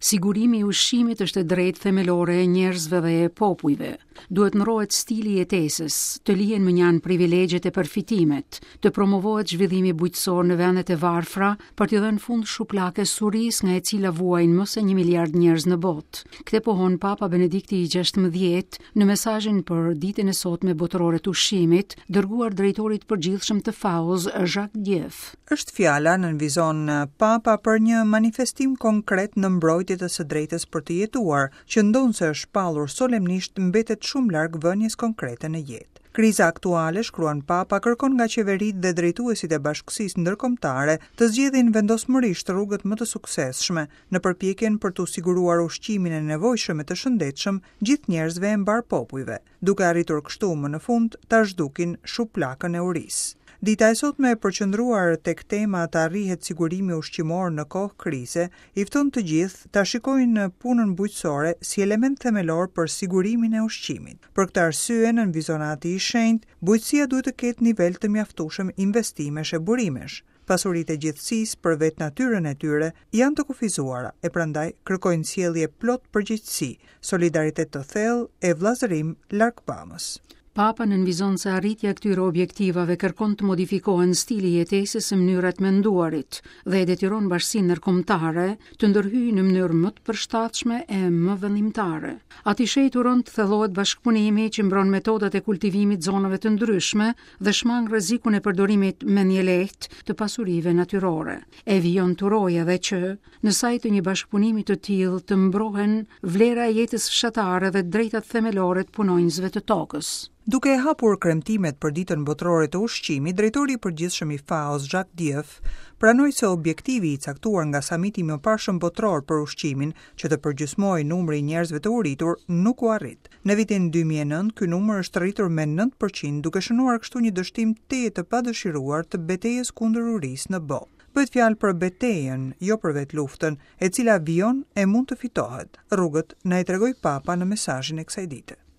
Sigurimi i ushqimit është e drejtë themelore e njerëzve dhe e popujve. Duhet ndrrohet stili i jetesës, të lihen mënjanë privilegjet e përfitimet, të promovohet zhvillimi bujqësor në vendet e varfra për t'i dhënë fund shuplakës së urisë nga e cila vuajnë më se 1 miliard njerëz në botë. Këtë pohon Papa Benedikti i 16 në mesazhin për ditën e sotme botërore të ushqimit, dërguar drejtorit të përgjithshëm të FAO-s, Jacques Diouf. Është fjala, nënvizon Papa, për një manifestim konkret në mbrojtje të së drejtës për të jetuar, që ndonëse është shpallur solemnisht mbetet shumë larg vënies konkrete në jetë. Kriza aktuale, shkruan Papa, kërkon nga qeveritë dhe drejtuesit e bashkësisë ndërkombëtare të zgjedhin vendosmërisht rrugët më të suksesshme në përpjekjen për t'u siguruar ushqimin e nevojshëm e të shëndetshëm gjithë njerëzve e mbarë popujve, duke arritur kështu më në fund ta zhdukin shuplakën e urisë. Dita e sotme e përqendruar tek tema të arrihet sigurimi ushqimor në kohë krize, i fton të gjithë ta shikojnë punën bujqësore si element themelor për sigurimin e ushqimit. Për këtë arsye, nënvizon Ati i Shenjtë, bujqësia duhet të ketë nivel të mjaftueshëm investimesh e burimesh. Pasuritë e gjithësisë, për vetë natyrën e tyre, janë të kufizuara e prandaj kërkojnë sjellje plot përgjegjësi, solidaritet të thellë e vëllazërim largpamës. Papa nënvizon se arritja e këtyre objektivave kërkon të modifikohen stili i jetesës e mënyra e të menduarit dhe e detyron bashkësinë ndërkombëtare të ndërhyjë në mënyrë më të përshtatshme e më vendimtare. Ati i Shenjtë uron të thellohet bashkëpunimi që mbron metodat e kultivimit zonave të ndryshme dhe shmang rrezikun e përdorimit mendjelehtë të pasurive natyrore. E vijon të urojë edhe që, në sajë të një bashkëpunimi të tillë të mbrohen vlera e jetës fshatare dhe të drejtat themelore të punonjësve të tokës. Duke e hapur kremtimet për Ditën Botërore të Ushqimit, drejtori i përgjithshëm i FAO-s, Jacques Diouf, pranoi se objektivi i caktuar nga Samiti i mëparshëm Botëror për Ushqimin, që të përgjysmohej numri i njerëzve të uritur, nuk u arrit. Në vitin 2009, ky numër është rritur me 9%, duke shënuar kështu një dështim tejet të padëshiruar të betejës kundër urisë në botë. Bëhet fjalë për betejën, jo për vetë luftën, e cila vijon e mund të fitohet. Rrugët na i tregoi Papa në mesazhin e kësaj dite.